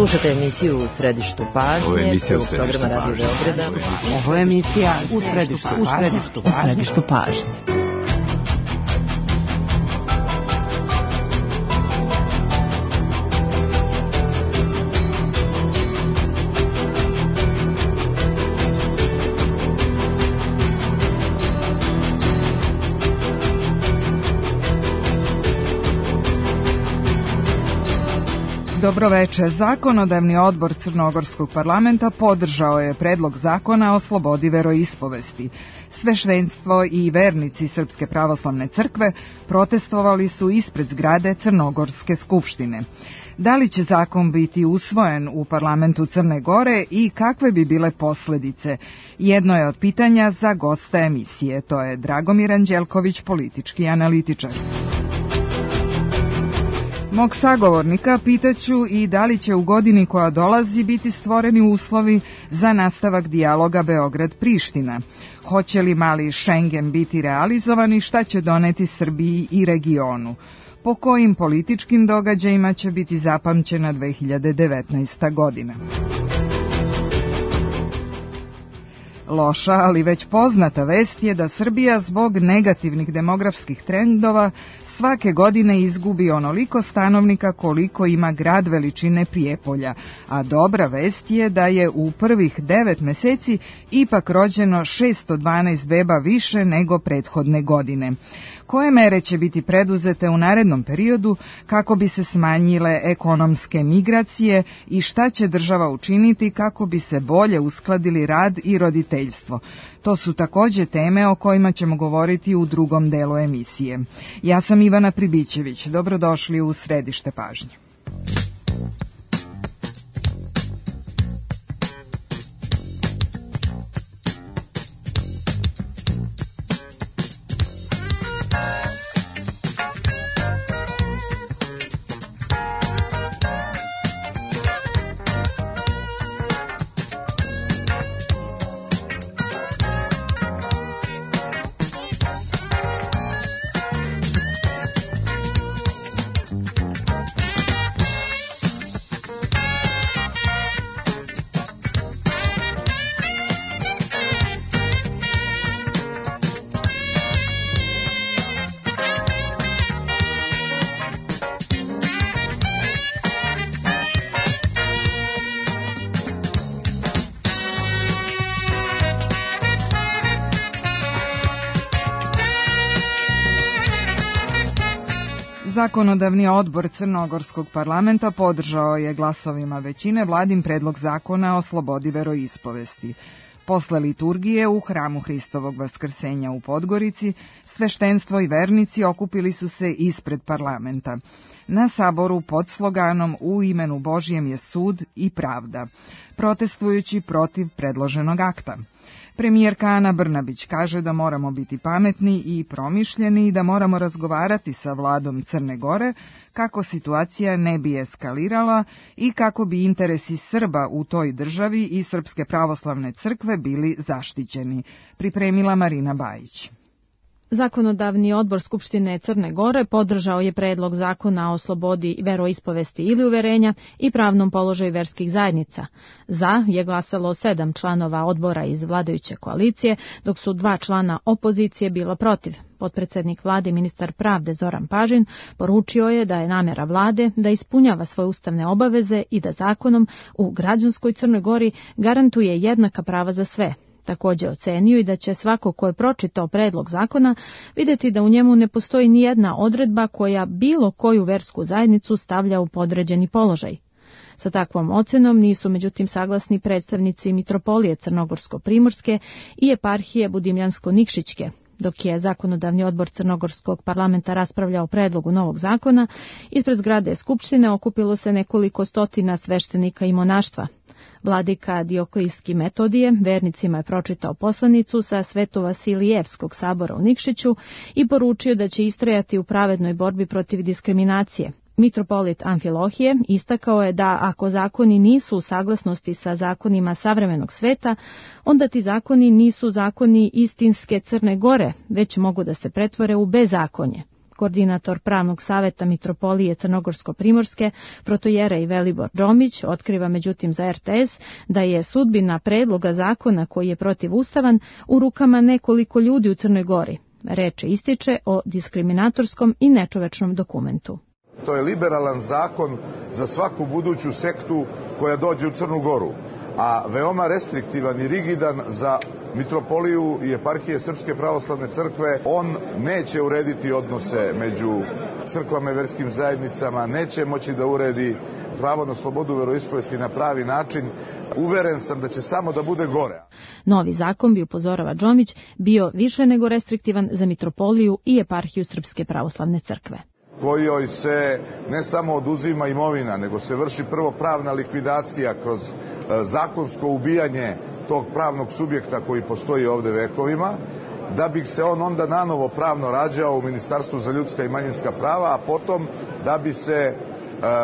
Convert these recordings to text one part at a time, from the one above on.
Slušate emisiju U središtu pažnje, prvog programa Radio Beograda. Ovo je emisija U središtu pažnje. Dobroveče. Zakonodavni odbor Crnogorskog parlamenta podržao je predlog zakona o slobodi veroispovesti. Sveštenstvo i vernici Srpske pravoslavne crkve protestovali su ispred zgrade Crnogorske skupštine. Da li će zakon biti usvojen u parlamentu Crne Gore i kakve bi bile posledice? Jedno je od pitanja za gosta emisije. To je Dragomir Anđelković, politički analitičar. Mog sagovornika pitaću i da li će u godini koja dolazi biti stvoreni uslovi za nastavak dijaloga Beograd-Priština. Hoće li mali Šengen biti realizovan i šta će doneti Srbiji i regionu? Po kojim političkim događajima će biti zapamćena 2019. godina? Loša, ali već poznata vest je da Srbija zbog negativnih demografskih trendova svake godine izgubi onoliko stanovnika koliko ima grad veličine Prijepolja, a dobra vest je da je u prvih 9 meseci ipak rođeno 612 beba više nego prethodne godine. Koje mere će biti preduzete u narednom periodu kako bi se smanjile ekonomske migracije i šta će država učiniti kako bi se bolje uskladili rad i roditeljstvo? To su takođe teme o kojima ćemo govoriti u drugom delu emisije. Ja sam Ivana Pribićević. Dobrodošli u središte pažnje. Zakonodavni odbor Crnogorskog parlamenta podržao je glasovima većine vladin predlog zakona o slobodi veroispovesti. Posle liturgije u hramu Hristovog Vaskrsenja u Podgorici, sveštenstvo i vernici okupili su se ispred parlamenta. Na saboru pod sloganom U imenu Božjem je sud i pravda, protestujući protiv predloženog akta. Premijerka Ana Brnabić kaže da moramo biti pametni i promišljeni i da moramo razgovarati sa vladom Crne Gore kako situacija ne bi eskalirala i kako bi interesi Srba u toj državi i Srpske pravoslavne crkve bili zaštićeni, pripremila Marina Bajić. Zakonodavni odbor Skupštine Crne Gore podržao je predlog zakona o slobodi veroispovesti ili uverenja i pravnom položaju verskih zajednica. Za je glasalo 7 članova odbora iz vladajuće koalicije, dok su 2 člana opozicije bila protiv. Potpredsednik vlade, ministar pravde Zoran Pažin, poručio je da je namera vlade da ispunjava svoje ustavne obaveze i da zakonom u građanskoj Crnoj Gori garantuje jednaka prava za sve. Takođe ocenio i da će svako ko je pročitao predlog zakona videti da u njemu ne postoji ni jedna odredba koja bilo koju versku zajednicu stavlja u podređeni položaj. Sa takvom ocenom nisu međutim saglasni predstavnici Mitropolije Crnogorsko-Primorske i eparhije Budimljansko-Nikšićke. Dok je Zakonodavni odbor Crnogorskog parlamenta raspravljao o predlogu novog zakona, ispred zgrade Skupštine okupilo se nekoliko stotina sveštenika i monaštva. Vladika Dioklijski Metodije vernicima je pročitao poslanicu sa Sveto-Vasilijevskog sabora u Nikšiću i poručio da će istrajati u pravednoj borbi protiv diskriminacije. Mitropolit Amfilohije istakao je da ako zakoni nisu u saglasnosti sa zakonima savremenog sveta, onda ti zakoni nisu zakoni istinske Crne Gore, već mogu da se pretvore u bezakonje. Koordinator Pravnog saveta Mitropolije Crnogorsko-Primorske, protojere i Velibor Džomić, otkriva međutim za RTS da je sudbina predloga zakona koji je protivustavan u rukama nekoliko ljudi u Crnoj Gori. Reč ističe o diskriminatorskom i nečovečnom dokumentu. To je liberalan zakon za svaku buduću sektu koja dođe u Crnu Goru, a veoma restriktivan i rigidan za Mitropoliju i eparhije Srpske pravoslavne crkve. On neće urediti odnose među crkvama i verskim zajednicama, neće moći da uredi pravo na slobodu veroispovesti na pravi način. Uveren sam da će samo da bude gore. Novi zakon, bi upozorava Džomić, bio više nego restriktivan za Mitropoliju i eparhiju Srpske pravoslavne crkve, kojoj se ne samo oduzima imovina, nego se vrši prvo pravna likvidacija kroz zakonsko ubijanje tog pravnog subjekta koji postoji ovde vekovima, da bi se on onda nanovo pravno rađao u Ministarstvu za ljudska i manjinska prava, a potom da bi se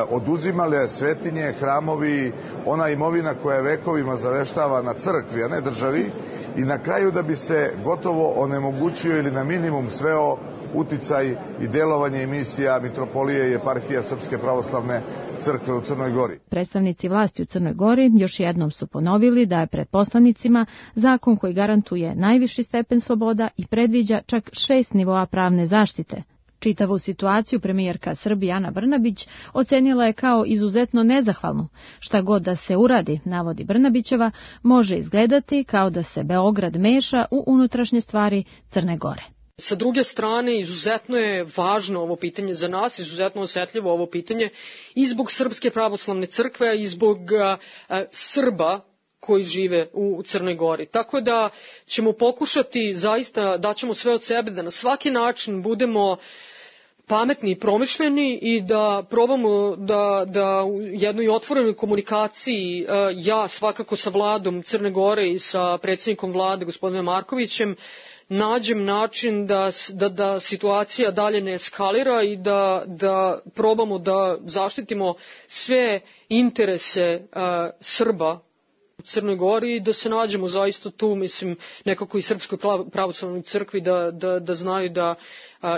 oduzimale svetinje, hramovi, ona imovina koja je vekovima zaveštava na crkvi, a ne državi, i na kraju da bi se gotovo onemogućio ili na minimum sveo uticaj i delovanje emisija Mitropolije i eparhija Srpske pravoslavne crkve u Crnoj Gori. Predstavnici vlasti u Crnoj Gori još jednom su ponovili da je pred poslanicima zakon koji garantuje najviši stepen sloboda i predviđa čak 6 nivoa pravne zaštite. Čitavu situaciju premijerka Srbije Ana Brnabić ocenila je kao izuzetno nezahvalnu. Šta god da se uradi, navodi Brnabićeva, može izgledati kao da se Beograd meša u unutrašnje stvari Crne Gore. Sa druge strane, izuzetno je važno ovo pitanje za nas, izuzetno osetljivo ovo pitanje i zbog Srpske pravoslavne crkve i zbog Srba koji žive u Crnoj Gori. Tako da ćemo pokušati, zaista daćemo sve od sebe da na svaki način budemo pametni i promišljeni i da probamo da u jednoj otvorenoj komunikaciji, ja svakako sa vladom Crne Gore i sa predsjednikom vlade gospodinom Markovićem, nađem način da situacija dalje ne eskalira i da probamo da zaštitimo sve interese Srba u Crnoj Gori i da se nađemo zaista tu, mislim, nekako i Srpskoj pravoslavnoj crkvi da znaju da,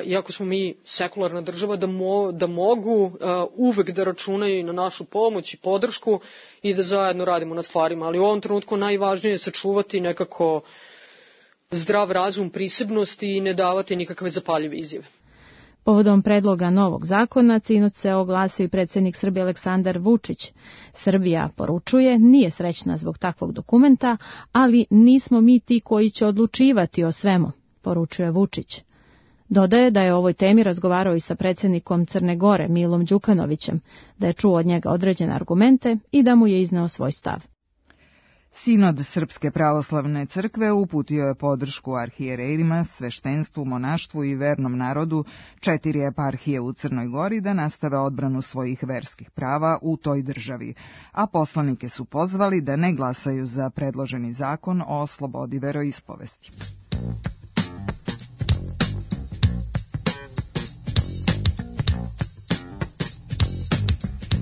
iako smo mi sekularna država, da mogu uvek da računaju na našu pomoć i podršku i da zajedno radimo na stvarima. Ali u ovom trenutku najvažnije je sačuvati nekako zdrav razum, prisebnost i ne davati nikakve zapaljive izjave. Povodom predloga novog zakona, sinoć se oglasio i predsjednik Srbije Aleksandar Vučić. Srbija, poručuje, nije srećna zbog takvog dokumenta, ali nismo mi ti koji će odlučivati o svemu, poručuje Vučić. Dodaje da je o ovoj temi razgovarao i sa predsjednikom Crne Gore, Milom Đukanovićem, da je čuo od njega određene argumente i da mu je izneo svoj stav. Sinod Srpske pravoslavne crkve uputio je podršku arhijerejima, sveštenstvu, monaštvu i vernom narodu 4 eparhije u Crnoj Gori da nastave odbranu svojih verskih prava u toj državi, a poslanike su pozvali da ne glasaju za predloženi zakon o slobodi veroispovesti.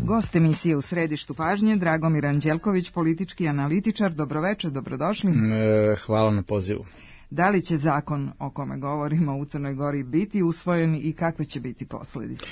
Gost emisije U središtu pažnje, Dragomir Anđelković, politički analitičar. Dobroveče, dobrodošli. Hvala na pozivu. Da li će zakon o kome govorimo u Crnoj Gori biti usvojen i kakve će biti posljedice?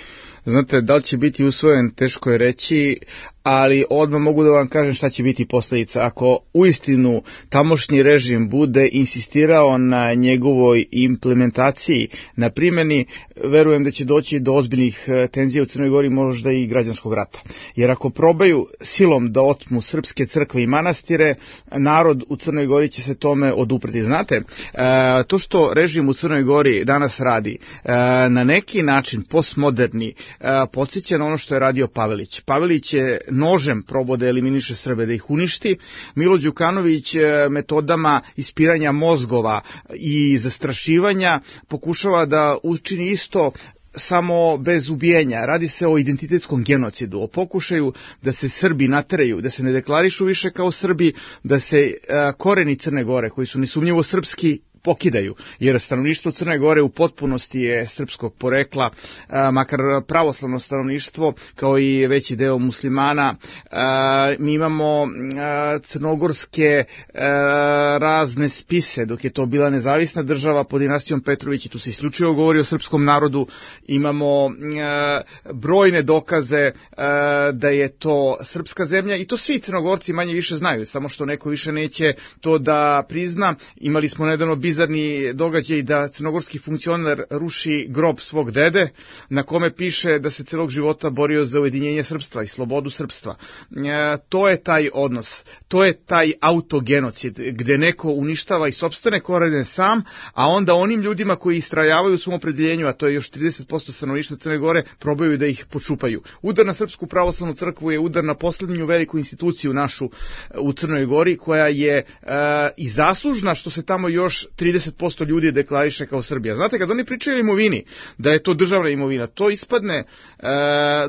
Znate, da li će biti usvojen, teško je reći, ali odmah mogu da vam kažem šta će biti posljedica. Ako uistinu tamošnji režim bude insistirao na njegovoj implementaciji, na primjeni, verujem da će doći do ozbiljnih tenzija u Crnoj Gori, možda i građanskog rata. Jer ako probaju silom da otmu srpske crkve i manastire, narod u Crnoj Gori će se tome odupreti. Znate, to što režim u Crnoj Gori danas radi, na neki način postmoderni, podsjeća na ono što je radio Pavelić. Pavelić je nožem probao da eliminiše Srbe, da ih uništi. Milo Đukanović metodama ispiranja mozgova i zastrašivanja pokušava da učini isto, samo bez ubijenja. Radi se o identitetskom genocidu, o pokušaju da se Srbi nateraju, da se ne deklarišu više kao Srbi, da se koreni Crne Gore, koji su nesumnjivo srpski, pokidaju, jer stanovništvo Crne Gore u potpunosti je srpskog porekla, makar pravoslavno stanovništvo, kao i veći deo muslimana. Mi imamo crnogorske razne spise, dok je to bila nezavisna država pod dinastijom Petrović, i tu se isključivo govori o srpskom narodu. Imamo brojne dokaze da je to srpska zemlja, i to svi Crnogorci manje više znaju, samo što neko više neće to da prizna. Imali smo nedavno bizarni događaj da crnogorski funkcioner ruši grob svog dede, na kome piše da se celog života borio za ujedinjenje srpstva i slobodu srpstva. To je taj odnos, to je taj autogenocid, gde neko uništava i sopstvene korene sam, a onda onim ljudima koji istrajavaju u svom opredeljenju, a to je još 30% stanovništva Crne Gore, probaju da ih počupaju. Udar na Srpsku pravoslavnu crkvu je udar na poslednju veliku instituciju našu u Crnoj Gori, koja je i zaslužna što se tamo još 30% ljudi deklariše kao Srbija. Znate, kad oni pričaju o imovini, da je to državna imovina, to ispadne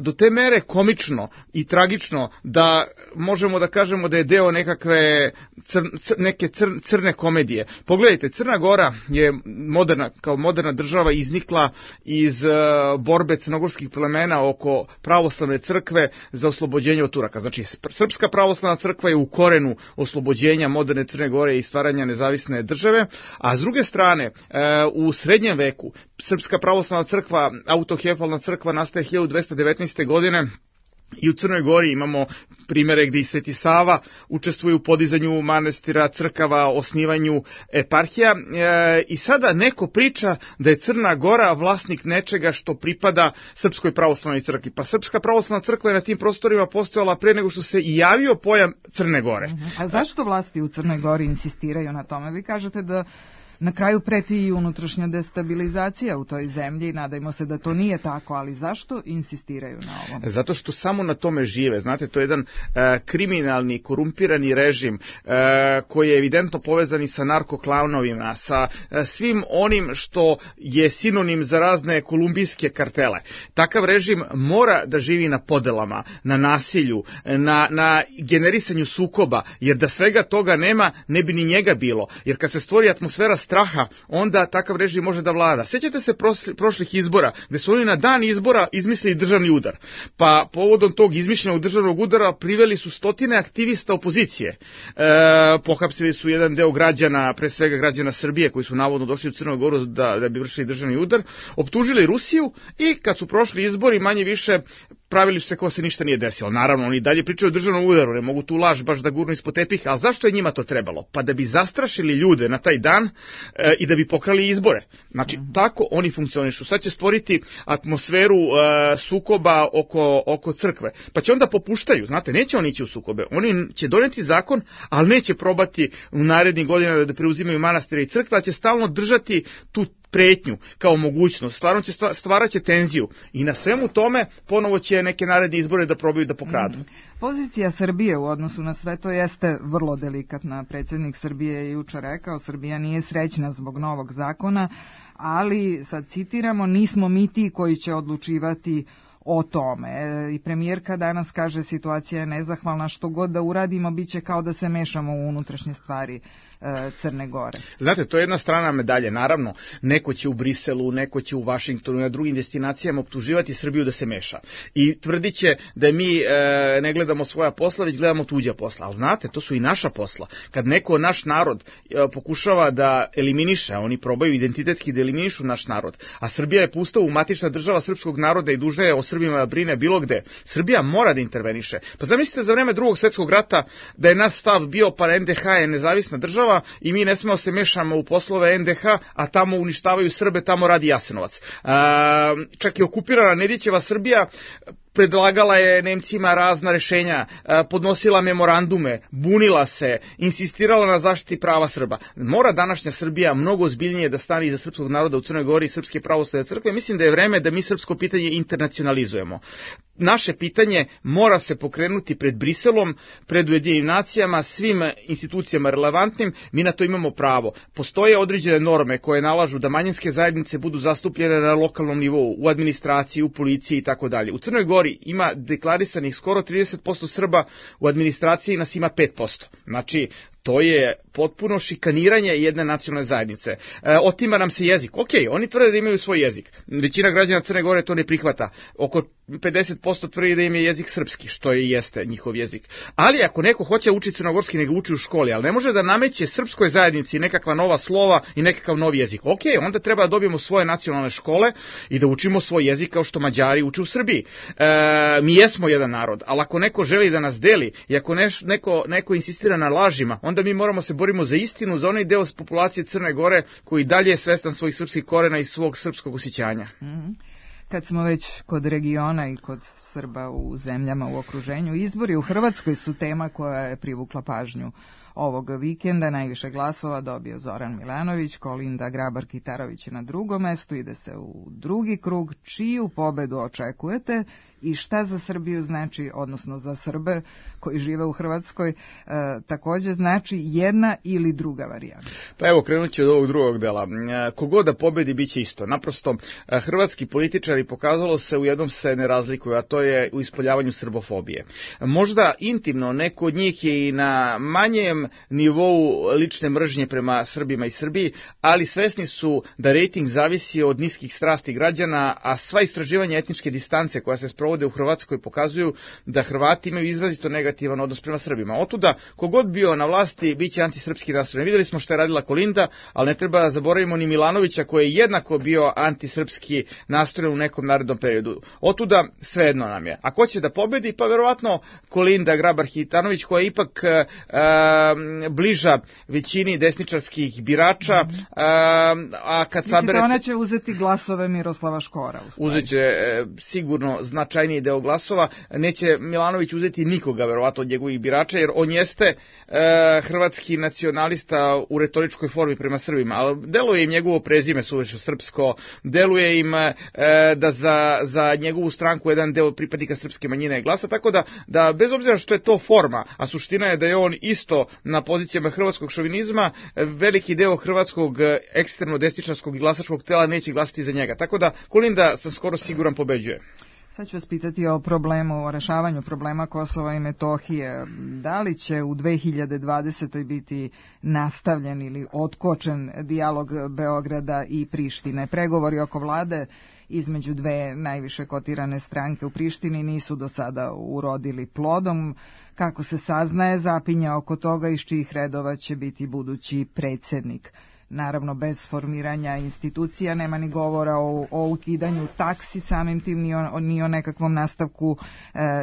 do te mere komično i tragično da možemo da kažemo da je deo nekakve neke crne komedije. Pogledajte, Crna Gora je kao moderna država iznikla iz borbe crnogorskih plemena oko pravoslavne crkve za oslobođenje od Turaka. Znači, Srpska pravoslavna crkva je u korenu oslobođenja moderne Crne Gore i stvaranja nezavisne države, a s druge strane, u srednjem veku Srpska pravoslavna crkva, autokefalna crkva, nastaje 1219. godine, i u Crnoj Gori imamo primere gdje i Sveti Sava učestvuje u podizanju manastira, crkava, osnivanju eparhija, i sada neko priča da je Crna Gora vlasnik nečega što pripada Srpskoj pravoslavnoj crkvi. Pa Srpska pravoslavna crkva je na tim prostorima postojala pre nego što se i javio pojam Crne Gore. A zašto vlasti u Crnoj Gori insistiraju na tome? Vi kažete da na kraju preti i unutrašnja destabilizacija u toj zemlji, nadajmo se da to nije tako, ali zašto insistiraju na ovom? Zato što samo na tome žive. Znate, to je jedan kriminalni, korumpirani režim koji je evidentno povezan i sa narkoklanovima, sa svim onim što je sinonim za razne kolumbijske kartele. Takav režim mora da živi na podelama, na nasilju, na generisanju sukoba, jer da svega toga nema, ne bi ni njega bilo. Jer kad se stvori atmosfera straha, onda takav režim može da vlada. Sjećate se prošlih izbora, gde su oni na dan izbora izmislili državni udar. Pa povodom tog izmišljenog državnog udara priveli su stotine aktivista opozicije. Pohapsili su jedan deo građana, pre svega građana Srbije, koji su navodno došli u Crnu Goru da bi vršili državni udar, optužili Rusiju, i kad su prošli izbori, manje više pravili su se kao se ništa nije desilo. Naravno, oni dalje pričaju o državnom udaru, ne mogu tu laž baš da gurnu ispod tepiha, ali zašto je njima to trebalo? Pa da bi zastrašili ljude na taj dan i da bi pokrali izbore. Znači, tako oni funkcionišu. Sad će stvoriti atmosferu sukoba oko crkve. Pa će onda popuštaju, znate, neće oni ići u sukobe. Oni će doneti zakon, ali neće probati u narednih godina da preuzimaju manastire i crkve, a će stalno držati tu pretnju kao mogućnost, stvarat će tenziju, i na svemu tome ponovo će neke naredne izbore da probaju da pokradu. Pozicija Srbije u odnosu na sve to jeste vrlo delikatna. Predsjednik Srbije je jučer rekao, Srbija nije srećna zbog novog zakona, ali, sad citiramo, nismo mi ti koji će odlučivati o tome. I premijerka danas kaže, situacija je nezahvalna, što god da uradimo bit će kao da se mešamo u unutrašnje stvari Crne Gore. Znate, to je jedna strana medalje. Naravno, neko će u Briselu, neko će u Vašingtonu i na drugim destinacijama optuživati Srbiju da se meša. I tvrdit će da mi ne gledamo svoja posla, već gledamo tuđa posla. Ali znate, to su i naša posla. Kad neko naš narod pokušava da eliminiše, a oni probaju identitetski da eliminišu naš narod, a Srbija je po Ustavu matična država srpskog naroda i dužna je o Srbima da brine bilo gde, Srbija mora da interveniše. Pa zamislite za vreme Drugog svjetskog rata da je naš stav bio, pa NDH je nezavisna država i mi ne smemo se mešamo u poslove NDH, a tamo uništavaju Srbe, tamo radi Jasenovac. Čak i okupirana Nedićeva Srbija predlagala je Nemcima razna rešenja, podnosila memorandume, bunila se, insistirala na zaštiti prava Srba. Mora današnja Srbija mnogo ozbiljnije da stane iza srpskog naroda u Crnoj Gori i Srpske pravoslavne crkve. Mislim da je vreme da mi srpsko pitanje internacionalizujemo. Naše pitanje mora se pokrenuti pred Briselom, pred Ujedinjenim nacijama, svim institucijama relevantnim. Mi na to imamo pravo. Postoje određene norme koje nalažu da manjinske zajednice budu zastupljene na lokalnom nivou, u administraciji, u policiji i tako dalje. U Crnoj Gori ima deklarisanih skoro 30% Srba, u administraciji nas ima 5%. Znači, To je potpuno šikaniranje jedne nacionalne zajednice. Otima nam se jezik. Ok, oni tvrde da imaju svoj jezik. Većina građana Crne Gore to ne prihvata. Oko 50% tvrdi da im je jezik srpski, što i jeste njihov jezik. Ali ako neko hoće učiti crnogorski, nego uči u školi, ali ne može da nameće srpskoj zajednici nekakva nova slova i nekakav novi jezik. Ok, onda treba da dobijemo svoje nacionalne škole i da učimo svoj jezik kao što Mađari uče u Srbiji. Mi jesmo jedan narod, ali ako neko želi da nas deli i ako neko insistira na lažima, onda mi moramo se borimo za istinu, za onaj deo populacije Crne Gore koji dalje je svestan svojih srpskih korena i svog srpskog osjećanja. Kad smo već kod regiona i kod Srba u zemljama u okruženju, izbori u Hrvatskoj su tema koja je privukla pažnju ovog vikenda. Najviše glasova dobio Zoran Milanović, Kolinda Grabar-Kitarović je na drugom mestu, ide se u drugi krug. Čiju pobedu očekujete i šta za Srbiju znači, odnosno za Srbe koji žive u Hrvatskoj, također znači jedna ili druga varijanta? Pa evo, krenut ću od ovog drugog dela. Kogod da pobedi, bit će isto. Naprosto, hrvatski političari, pokazalo se, u jednom se ne razlikuju, a to je u ispoljavanju srbofobije. Možda intimno neko od njih je i na manjem nivou lične mržnje prema Srbima i Srbiji, ali svesni su da rejting zavisi od niskih strasti građana, a sva istraživanja etničke distance koja se sprovode u Hrvatskoj pokazuju da Hrvati imaju izrazito negativan odnos prema Srbima. Otuda, kogod bio na vlasti, bit će antisrpski nastrojen. Vidjeli smo što je radila Kolinda, ali ne treba da zaboravimo ni Milanovića koji je jednako bio antisrpski nastrojen u nekom narednom periodu. Otuda, svejedno nam je. A ko će da pobedi? Pa verovatno Kolinda Grabar-Kitarović, koja je ipak bliža većini desničarskih birača, a kad saberete... Ona će uzeti glasove Miroslava Škora. Uzeće sigurno značajniji deo glasova. Neće Milanović uzeti nikoga, verovatno, od njegovih birača, jer on jeste hrvatski nacionalista u retoričkoj formi prema Srbima, ali deluje im njegovo prezime suviše srpsko, deluje im da za njegovu stranku jedan deo pripadnika srpske manjine glasa, tako da bez obzira što je to forma, a suština je da je on isto na pozicijama hrvatskog šovinizma, veliki deo hrvatskog ekstremno desničarskog i glasačkog tela neće glasati za njega. Tako da Kolinda, sam skoro siguran, pobeđuje. Sad ću vas pitati o problemu, o rešavanju problema Kosova i Metohije. Da li će u 2020. biti nastavljen ili otkočen dijalog Beograda i Prištine? Pregovori oko vlade između dve najviše kotirane stranke u Prištini nisu do sada urodili plodom. Kako se saznaje, zapinja oko toga iz čijih redova će biti budući predsjednik. Naravno, bez formiranja institucija nema ni govora o ukidanju taksi, samim tim ni o nekakvom nastavku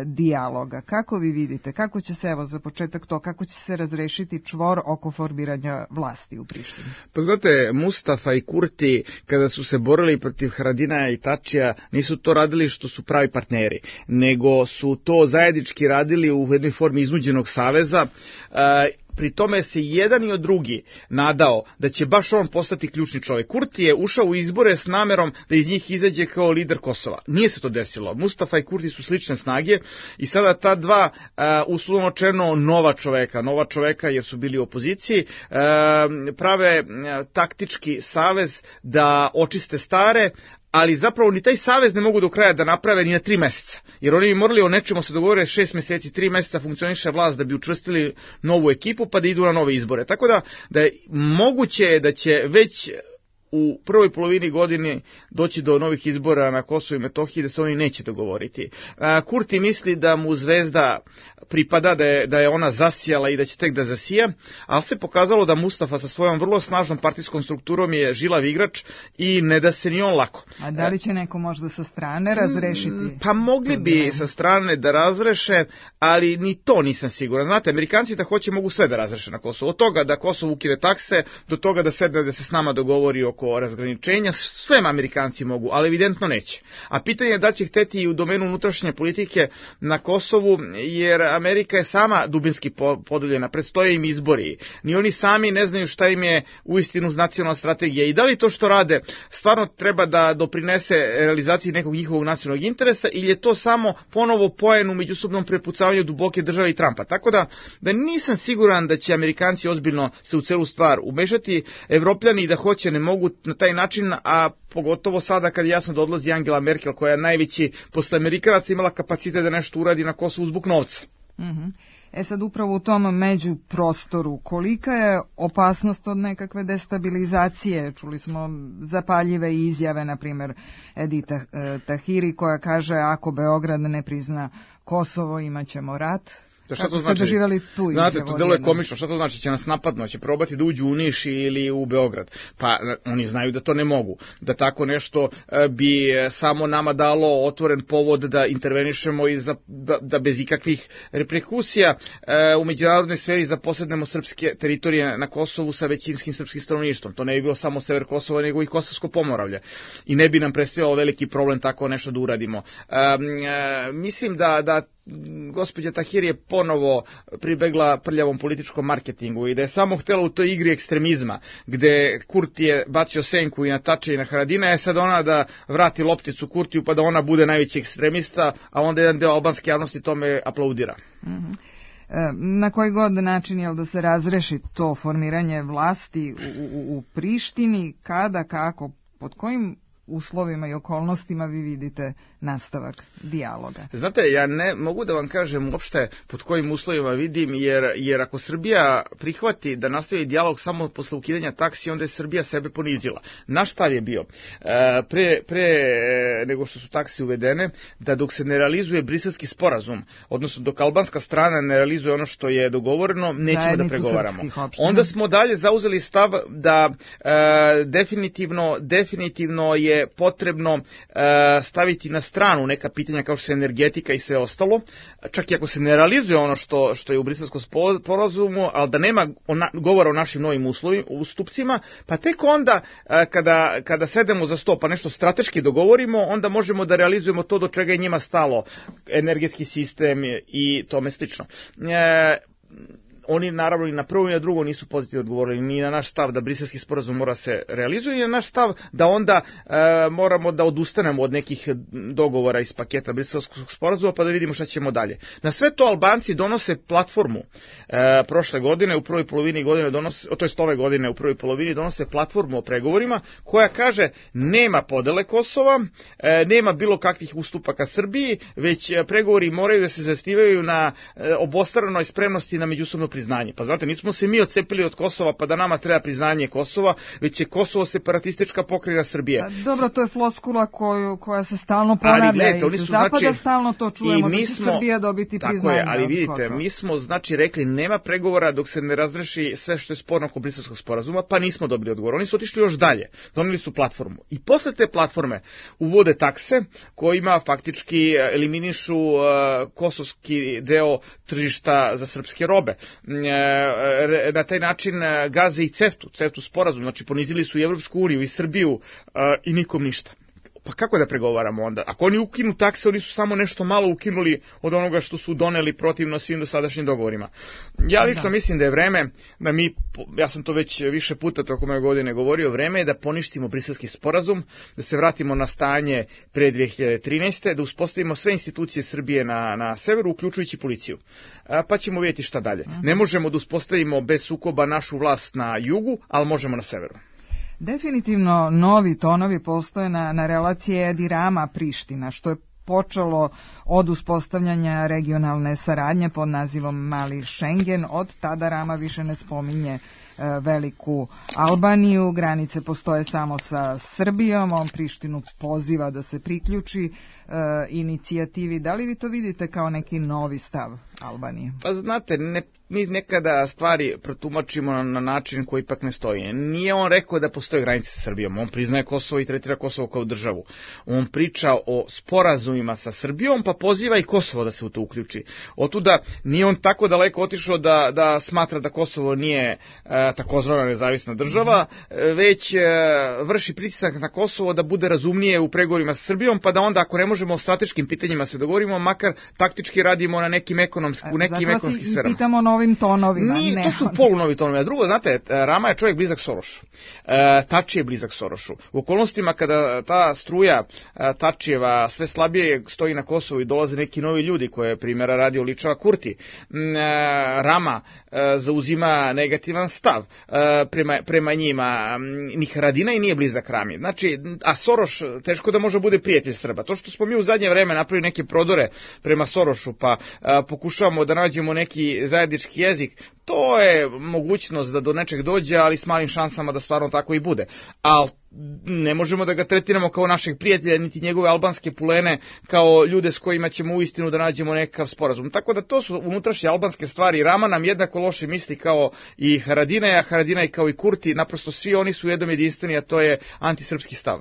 dijaloga. Kako vi vidite, kako će se, evo za početak to, kako će se razrešiti čvor oko formiranja vlasti u Prištini? Pa znate, Mustafa i Kurti, kada su se borili protiv Haradinaja i Tačija, nisu to radili što su pravi partneri, nego su to zajednički radili u jednoj formi iznuđenog saveza. Pri tome se jedan i od drugi nadao da će baš on postati ključni čovjek. Kurti je ušao u izbore s namerom da iz njih izađe kao lider Kosova. Nije se to desilo. Mustafa i Kurti su slične snage i sada ta dva uslovno rečeno nova čoveka jer su bili u opoziciji, prave taktički savez da očiste stare, ali zapravo ni taj savez ne mogu do kraja da naprave ni na 3 meseca. Jer oni bi morali o nečemu se dogovore 6 meseci, 3 meseca funkcioniše vlast da bi učvrstili novu ekipu pa da idu na nove izbore. Tako da je moguće da će već u prvoj polovini godine doći do novih izbora na Kosovu i Metohiji, da se oni neće dogovoriti. Kurti misli da mu zvezda pripada, da je ona zasijala i da će tek da zasija, ali se pokazalo da Mustafa sa svojom vrlo snažnom partijskom strukturom je žilav igrač i ne da se ni on lako. A da li će neko možda sa strane razrešiti? Pa mogli bi sa strane da razreše, ali ni to nisam siguran. Znate, Amerikanci da hoće mogu sve da razreše na Kosovu. Od toga da Kosovo ukine takse, do toga da sedne da se s nama dogovori oko razgraničenja, sve Amerikanci mogu, ali evidentno neće. A pitanje je da će hteti i u domenu unutrašnje politike na Kosovu, jer Amerika je sama dubinski podeljena, predstoje im izbori. Ni oni sami ne znaju šta im je uistinu nacionalna strategija i da li to što rade stvarno treba da doprinese realizaciji nekog njihovog nacionalnog interesa ili je to samo ponovo poen u međusobnom prepucavanju duboke države i Trumpa. Tako da nisam siguran da će Amerikanci ozbiljno se u celu stvar umešati. Evropljani da hoće ne mogu na taj način, a pogotovo sada kad je jasno da odlazi Angela Merkel, koja je najveći posle Amerikanaca imala kapacitet da nešto uradi na Kosovu zbog novca. Sad upravo u tom međuprostoru, kolika je opasnost od nekakve destabilizacije? Čuli smo zapaljive izjave, na primjer Edita Tahiri, koja kaže ako Beograd ne prizna Kosovo imaćemo rat. Šta to znači? Znate, to delo je komično. Šta to znači? Će nas napadno, će probati da uđu u Niš ili u Beograd. Pa oni znaju da to ne mogu. Da tako nešto bi samo nama dalo otvoren povod da intervenišemo i da bez ikakvih reperkusija u međunarodnoj sferi zaposednemo srpske teritorije na Kosovu sa većinskim srpskim stanovništvom. To ne bi bilo samo sever Kosova, nego i Kosovsko Pomoravlje. I ne bi nam predstavljalo veliki problem tako nešto da uradimo. Mislim da gospođa Tahiri je ponovo pribegla prljavom političkom marketingu i da je samo htjela u toj igri ekstremizma, gde Kurti je bacio senku i na Tače i na Haradina, je sad ona da vrati lopticu Kurtiju pa da ona bude najveći ekstremista, a onda jedan deo albanske javnosti tome aplaudira. Na koji god način je da se razreši to formiranje vlasti u Prištini, kada, kako, pod kojim uslovima i okolnostima vi vidite nastavak dijaloga? Znate, ja ne mogu da vam kažem uopšte pod kojim uslovima vidim, jer ako Srbija prihvati da nastavi dijalog samo posle ukidanja taksi, onda je Srbija sebe ponizila. Naš stav je bio, pre nego što su taksi uvedene, da dok se ne realizuje briselski sporazum, odnosno dok albanska strana ne realizuje ono što je dogovoreno, nećemo da pregovaramo. Onda smo dalje zauzeli stav da definitivno je potrebno staviti na stranu neka pitanja kao što je energetika i sve ostalo, čak i ako se ne realizuje ono što je u briselskom sporazumu, ali da nema govora o našim novim ustupcima, pa tek onda kada sedemo za sto pa nešto strateški dogovorimo, onda možemo da realizujemo to do čega je njima stalo, energetski sistem i tome slično. Oni naravno i na prvo i na drugo nisu pozitivno odgovorili ni na naš stav da briselski sporazum mora se realizuje, i na naš stav da onda moramo da odustanemo od nekih dogovora iz paketa briselskog sporazuma pa da vidimo šta ćemo dalje. Na sve to Albanci donose platformu prošle godine, u prvoj polovini godine ove godine u prvoj polovini donose platformu o pregovorima koja kaže nema podele Kosova, nema bilo kakvih ustupaka Srbiji, već pregovori moraju da se zasnivaju na obostranoj spremnosti na međusobno priznanje. Pa znate, nismo se mi odcepili od Kosova pa da nama treba priznanje Kosova, već je Kosovo separatistička pokrajina Srbije. Dobro, to je floskula koja se stalno ponavlja iz zapada, stalno to čujemo, da će Srbija dobiti priznanje. Tako je, ali vidite, mi smo rekli nema pregovora dok se ne razreši sve što je sporno oko briselskog sporazuma, pa nismo dobili odgovor. Oni su otišli još dalje, doneli su platformu. I posle te platforme uvode takse kojima faktički eliminišu kosovski deo tržišta za srpske robe. Na taj način gaze i CEFTA sporazum, znači ponizili su i Evropsku uniju i Srbiju i nikom ništa. Pa kako da pregovaramo onda? Ako oni ukinu takse, oni su samo nešto malo ukinuli od onoga što su doneli protivno svim dosadašnjim dogovorima. Ja lično mislim da je vreme da ja sam to već više puta tokom ove godine govorio, vreme je da poništimo briselski sporazum, da se vratimo na stanje pre 2013. da uspostavimo sve institucije Srbije na severu, uključujući policiju. Pa ćemo vidjeti šta dalje. Ne možemo da uspostavimo bez sukoba našu vlast na jugu, ali možemo na severu. Definitivno novi tonovi postoje na relaciji Edi Rama-Priština, što je počelo od uspostavljanja regionalne saradnje pod nazivom Mali Schengen. Od tada Rama više ne spominje veliku Albaniju, granice postoje samo sa Srbijom, on Prištinu poziva da se priključi inicijativi. Da li vi to vidite kao neki novi stav Albanije? Pa znate, mi nekada stvari protumačimo na način koji ipak ne stoji. Nije on rekao da postoje granice sa Srbijom, on priznaje Kosovo i tretira Kosovo kao državu. On priča o sporazumima sa Srbijom, pa poziva i Kosovo da se u to uključi. Otuda nije on tako daleko otišao da smatra da Kosovo nije takozvana nezavisna država, već vrši pritisak na Kosovo da bude razumnije u pregovorima sa Srbijom, pa da onda ako ne možemo o strateškim pitanjima se dogovorimo, makar taktički radimo na nekim ekonomskim sferama. I pitamo novim tonovima. To su polunovi tonovi. A drugo, znate, Rama je čovjek blizak Sorošu. Tači je blizak Sorošu. U okolnostima kada ta struja Tačijeva sve slabije stoji na Kosovu i dolaze neki novi ljudi koje primjera radi oličava Kurti, Rama zauzima negativan stav. stav prema njima, ni Haradinaj nije blizak Rami. Znači, a Soroš teško da može bude prijatelj Srba. To što smo mi u zadnje vreme napravili neke prodore prema Sorošu, pa pokušavamo da nađemo neki zajednički jezik, to je mogućnost da do nečeg dođe, ali s malim šansama da stvarno tako i bude. Ali ne možemo da ga tretiramo kao našeg prijatelja, niti njegove albanske pulene, kao ljude s kojima ćemo uistinu da nađemo nekakav sporazum. Tako da to su unutrašnje albanske stvari. Rama nam jednako loše misli kao i Haradinaj, a Haradinaj kao i Kurti, naprosto svi oni su jednom jedinstveni, a to je antisrpski stav.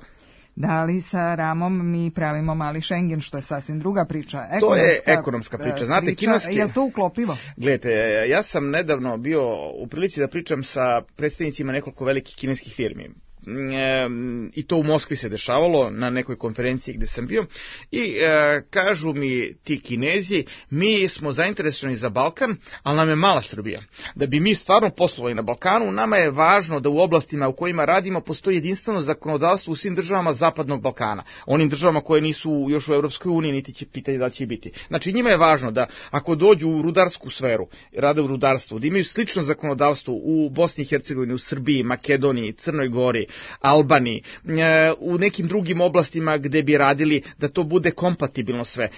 Da li sa Ramom mi pravimo mali Schengen, što je sasvim druga priča? To je ekonomska priča. Znate, kineski... Je li to uklopivo? Gledajte, ja sam nedavno bio u prilici da pričam sa predstavnicima nekoliko velikih kineskih firmi. I to u Moskvi se dešavalo na nekoj konferenciji gde sam bio i kažu mi ti Kinezi, mi smo zainteresovani za Balkan, ali nam je mala Srbija. Da bi mi stvarno poslovali na Balkanu, nama je važno da u oblastima u kojima radimo postoji jedinstveno zakonodavstvo u svim državama Zapadnog Balkana, onim državama koje nisu još u Evropskoj uniji, niti će pitanje da će biti. Znači njima je važno da ako dođu u rudarsku sferu, rade u rudarstvu, da imaju slično zakonodavstvo u Bosni i Hercegovini, u Srbiji, Makedoniji, Crnoj Gori, Albaniji, u nekim drugim oblastima gde bi radili, da to bude kompatibilno sve.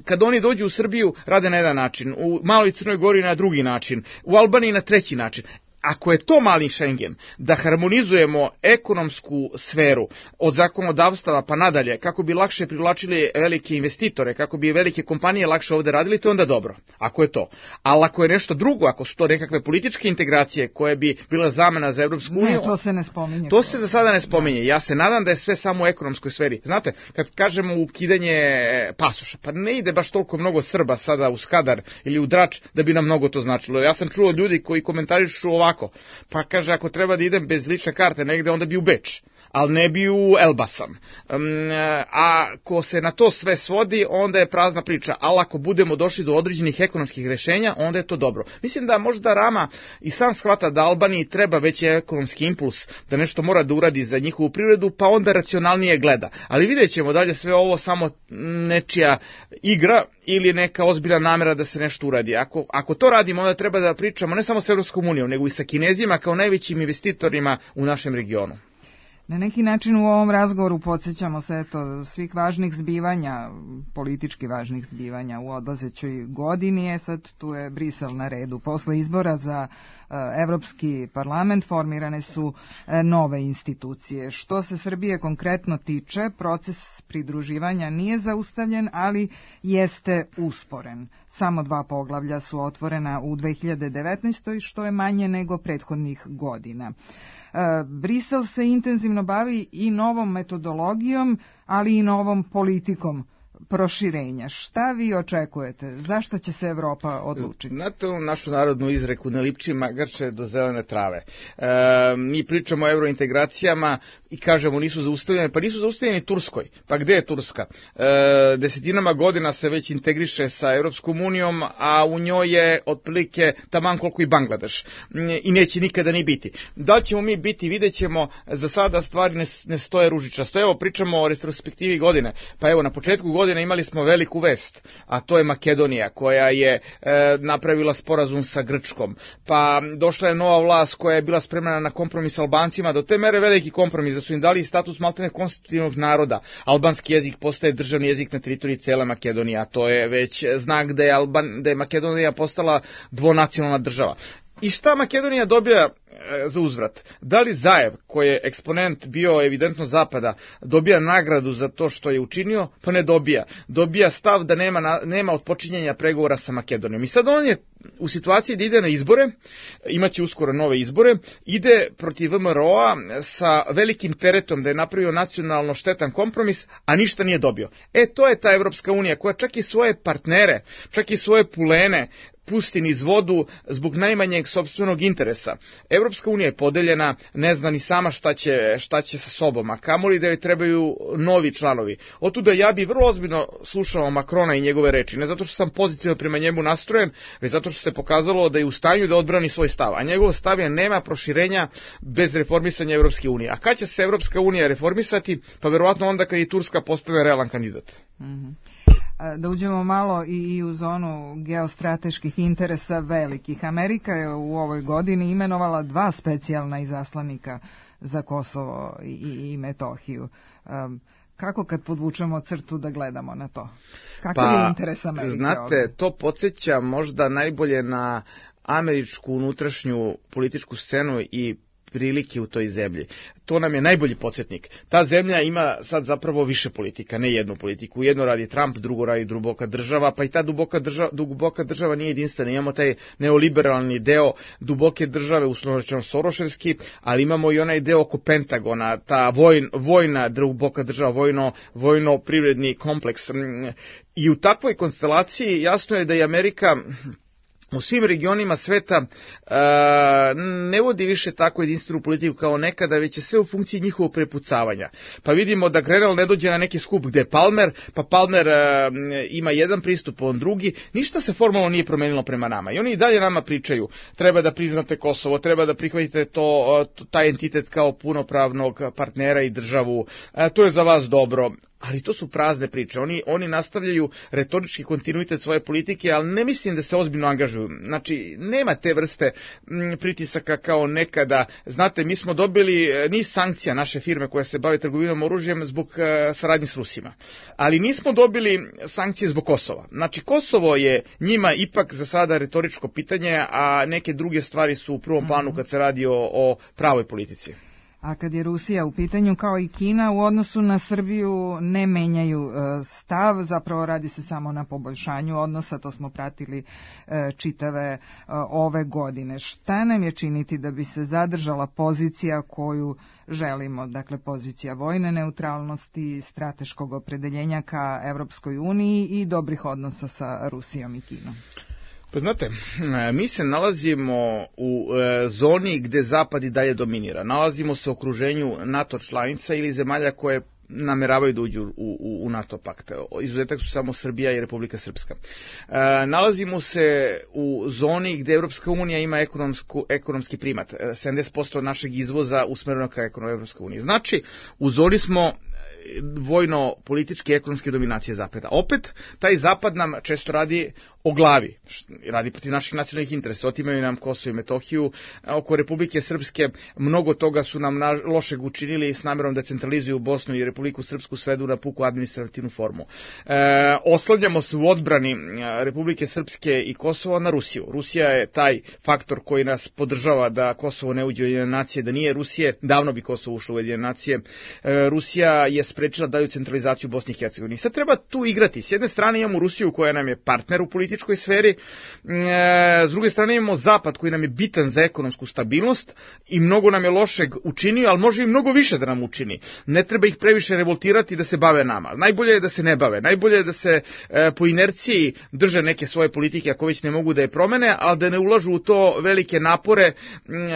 Kad oni dođu u Srbiju, rade na jedan način, u Maloj Crnoj Gori na drugi način, u Albaniji na treći način. Ako je to mali Schengen, da harmonizujemo ekonomsku sferu od zakonodavstava pa nadalje, kako bi lakše privlačili velike investitore, kako bi velike kompanije lakše ovde radili, to je onda dobro, ako je to. Ali ako je nešto drugo, ako su to nekakve političke integracije koje bi bila zamena za Evropsku uniju... Ne, to se ne spominje. To se za sada ne spominje. Ja se nadam da je sve samo u ekonomskoj sferi. Znate, kad kažemo ukidanje pasoša, pa ne ide baš toliko mnogo Srba sada u Skadar ili u Drač da bi nam mnogo to značilo. Ja sam čuo ljudi koji komentarišu ovako, pa kaže, ako treba da idem bez lične karte negde, onda bi u Beč, ali ne bi u Elbasan. A ako se na to sve svodi, onda je prazna priča, ali ako budemo došli do određenih ekonomskih rešenja, onda je to dobro. Mislim da možda Rama i sam shvata da Albaniji treba veći ekonomski impuls, da nešto mora da uradi za njihovu privredu, pa onda racionalnije gleda. Ali vidjet ćemo dalje sve ovo samo nečija igra ili neka ozbiljna namera da se nešto uradi. Ako to radimo, onda treba da pričamo ne samo s Evropskom unijom, nego i sa Kinezima kao najvećim investitorima u našem regionu. Na neki način u ovom razgovoru podsjećamo se svih važnih zbivanja, politički važnih zbivanja u odlazećoj godini. Sad tu je Brisel na redu. Posle izbora za Evropski parlament formirane su nove institucije. Što se Srbije konkretno tiče, proces pridruživanja nije zaustavljen, ali jeste usporen. Samo 2 poglavlja su otvorena u 2019. što je manje nego prethodnih godina. Brisel se intenzivno bavi i novom metodologijom, ali i novom politikom proširenja. Šta vi očekujete? Zašto će se Evropa odlučiti? Znate našu narodnu izreku, ne lipči magarče do zelene trave. Mi pričamo o eurointegracijama i kažemo nisu zaustavljene, pa nisu zaustavljene Turskoj. Pa gde je Turska? Desetinama godina se već integriše sa Evropskom unijom, a u njoj je otprilike taman koliko i Bangladeš. I neće nikada ni biti. Da li ćemo mi biti, vidjet ćemo, za sada stvari ne stoje ružičasto. Evo, pričamo o retrospektivi godine. Pa evo, na početku godine imali smo veliku vest, a to je Makedonija, koja je napravila sporazum sa Grčkom. Pa došla je nova vlast koja je bila spremna na kompromis s Albancima, do te mere veliki kompromis, da su im dali status maltene konstitutivnog naroda. Albanski jezik postaje državni jezik na teritoriji cele Makedonije, a to je već znak da je Makedonija postala dvonacionalna država. I šta Makedonija dobija za uzvrat? Da li Zaev, koji je eksponent bio evidentno Zapada, dobija nagradu za to što je učinio? Pa ne dobija. Dobija stav da nema odpočinjanja pregovora sa Makedonijom. I sad on je u situaciji da ide na izbore, imaće uskoro nove izbore, ide protiv VMRO-a sa velikim teretom da je napravio nacionalno štetan kompromis, a ništa nije dobio. To je ta Evropska unija koja čak i svoje partnere, čak i svoje pulene pusti niz vodu zbog najmanjeg sopstvenog interesa. Evropska unija je podeljena, ne zna ni sama šta će sa sobom, a kamoli da joj trebaju novi članovi. Otuda ja bi vrlo ozbiljno slušao Makrona i njegove reči, ne zato što sam pozitivno prema njemu nastrojen, već zato što se pokazalo da je u stanju da odbrani svoj stav, a njegov stav je nema proširenja bez reformisanja Evropske unije. A kad će se Evropska unija reformisati? Pa verovatno onda kad i Turska postane realan kandidat. Da uđemo malo i u zonu geostrateških interesa velikih. Amerika je u ovoj godini imenovala 2 specijalna izaslanika za Kosovo i Metohiju. Kako kad podvučemo crtu da gledamo na to? Kakav je interes Amerike? Znate, ovdje? To podsjeća možda najbolje na američku unutrašnju političku scenu i prilike u toj zemlji. To nam je najbolji podsjetnik. Ta zemlja ima sad zapravo više politika, ne jednu politiku. Jedno radi Trump, drugo radi duboka država, pa i ta duboka država nije jedinstvena. Imamo taj neoliberalni deo duboke države, uslovno rečeno soroševski, ali imamo i onaj deo oko Pentagona, ta vojna duboka država, vojno-privredni kompleks. I u takvoj konstelaciji jasno je da je Amerika u svim regionima sveta ne vodi više tako jedinstvenu politiku kao nekada, već je sve u funkciji njihovog prepucavanja. Pa vidimo da Grenell ne dođe na neki skup gde je Palmer, pa Palmer ima jedan pristup, on drugi. Ništa se formalno nije promenilo prema nama. I oni i dalje nama pričaju, treba da priznate Kosovo, treba da prihvatite taj entitet kao punopravnog partnera i državu, to je za vas dobro. Ali to su prazne priče. Oni nastavljaju retorički kontinuitet svoje politike, ali ne mislim da se ozbiljno angažuju. Znači, nema te vrste pritisaka kao nekada. Znate, mi smo dobili niz sankcija naše firme koje se bave trgovinom oružjem zbog saradnje s Rusima. Ali nismo dobili sankcije zbog Kosova. Znači, Kosovo je njima ipak za sada retoričko pitanje, a neke druge stvari su u prvom planu kad se radi o pravoj politici. A kad je Rusija u pitanju, kao i Kina, u odnosu na Srbiju ne menjaju stav, zapravo radi se samo na poboljšanju odnosa, to smo pratili čitave ove godine. Šta nam je činiti da bi se zadržala pozicija koju želimo, dakle pozicija vojne neutralnosti, strateškog opredeljenja ka Evropskoj uniji i dobrih odnosa sa Rusijom i Kinom? Pa znate, mi se nalazimo u zoni gde Zapad i dalje dominira. Nalazimo se u okruženju NATO članica ili zemalja koje nameravaju da uđu u NATO pakt. Izuzetak su samo Srbija i Republika Srpska. Nalazimo se u zoni gde Evropska unija ima ekonomski primat. 70% našeg izvoza usmereno ka Evropskoj uniji. Znači, u zoni smo vojno-političke i ekonomske dominacije Zapada. Opet, taj Zapad nam često radi o glavi, radi protiv naših nacionalnih interesa, otimaju nam Kosovo i Metohiju, oko Republike Srpske mnogo toga su nam lošeg učinili s namerom da centralizuju Bosnu i Republiku Srpsku, svedu na puku administrativnu formu. Oslanjamo se u odbrani Republike Srpske i Kosova na Rusiju. Rusija je taj faktor koji nas podržava da Kosovo ne uđe u Ujedinjene nacije, da nije Rusije, davno bi Kosovo ušlo u Ujedinjene nacije. Rusija je sprečila dalju centralizaciju Bosne i Hercegovine. Sad treba tu igrati. S jedne strane imamo Rusiju koja nam je partner u političkoj sferi, s druge strane imamo Zapad koji nam je bitan za ekonomsku stabilnost i mnogo nam je lošeg učinio, ali može i mnogo više da nam učini. Ne treba ih previše revoltirati da se bave nama. Najbolje je da se ne bave. Najbolje je da se po inerciji drže neke svoje politike ako već ne mogu da je promene, ali da ne ulažu u to velike napore,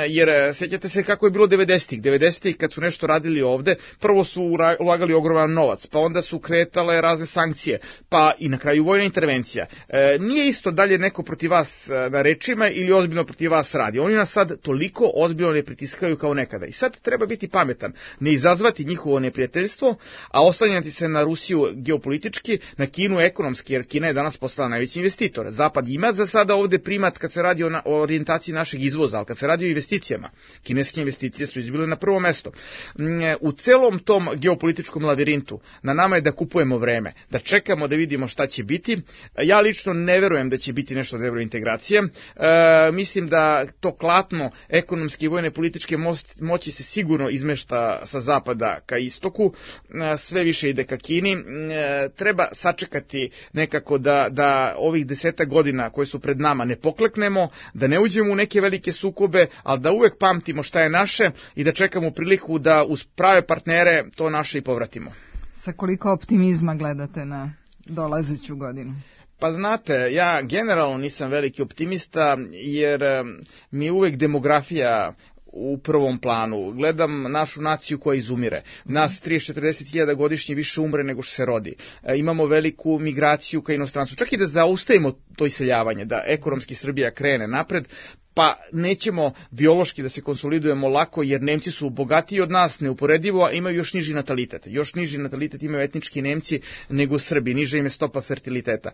jer sjećate se kako je bilo 90-ih. 90-ih kad su nešto radili ovde, prvo su ulagali ogroman novac, pa onda su kretale razne sankcije, pa i na kraju vojna intervencija. Nije isto dalje neko protiv vas na rečima ili ozbiljno protiv vas radi. Oni nas sad toliko ozbiljno ne pritiskaju kao nekada. I sad treba biti pametan, ne izazvati njihovo neprijateljstvo, a oslanjati se na Rusiju geopolitički, na Kinu ekonomski, jer Kina je danas postala najveći investitor. Zapad ima za sada ovde primat kad se radi o orijentaciji našeg izvoza, ali kad se radi o investicijama, kineske investicije su izbile na prvo mesto. U celom tom geopolitičkom lavirintu na nama je da kupujemo vreme, da čekamo da vidimo šta će biti. Ja lično ne verujem da će biti nešto od evrointegracije. Mislim da to klatno ekonomske i vojne političke moći se sigurno izmešta sa zapada ka istoku, sve više ide ka Kini. Treba sačekati nekako da ovih 10 godina koje su pred nama ne pokleknemo, da ne uđemo u neke velike sukobe, ali da uvek pamtimo šta je naše i da čekamo priliku da uz prave partnere to naše i povratimo. Sa koliko optimizma gledate na dolazeću godinu? Pa znate, ja generalno nisam veliki optimista jer mi uvek demografija u prvom planu. Gledam našu naciju koja izumire. Nas 30-40 hiljada godišnje više umre nego što se rodi. Imamo veliku migraciju ka inostranstvu. Čak i da zaustavimo to iseljavanje, da ekonomski Srbija krene napred, pa nećemo biološki da se konsolidujemo lako, jer Nemci su bogatiji od nas, neuporedivo, a imaju još niži natalitet. Još niži natalitet imaju etnički Nemci nego Srbi, niža im je stopa fertiliteta.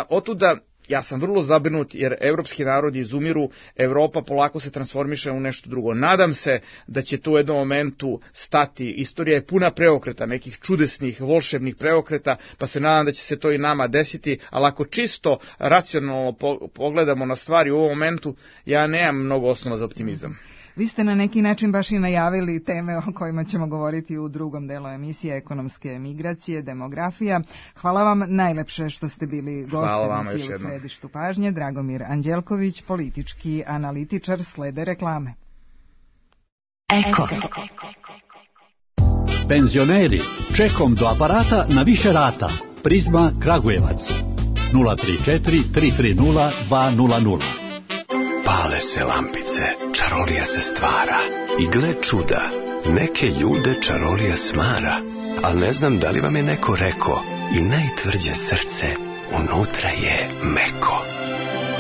Otuda ja sam vrlo zabrinut jer evropski narodi izumiru, Evropa polako se transformiše u nešto drugo. Nadam se da će to u jednom momentu stati. Istorija je puna preokreta, nekih čudesnih, volšebnih preokreta, pa se nadam da će se to i nama desiti, ali ako čisto racionalno pogledamo na stvari u ovom momentu, ja nemam mnogo osnova za optimizam. Vi ste na neki način baš i najavili teme o kojima ćemo govoriti u drugom delu emisije, ekonomske migracije, demografija. Hvala vam najlepše što ste bili gost emisije u središtu pažnje. Dragomir Anđelković, politički analitičar, slede reklame. Eko. Penzioneri, čekom do aparata na više rata. Prizma Kragujevac. 034 330 200. Pale se lampice, čarolija se stvara. I gle čuda, neke ljude čarolija smara. Al ne znam da li vam je neko reko, i najtvrđe srce unutra je meko.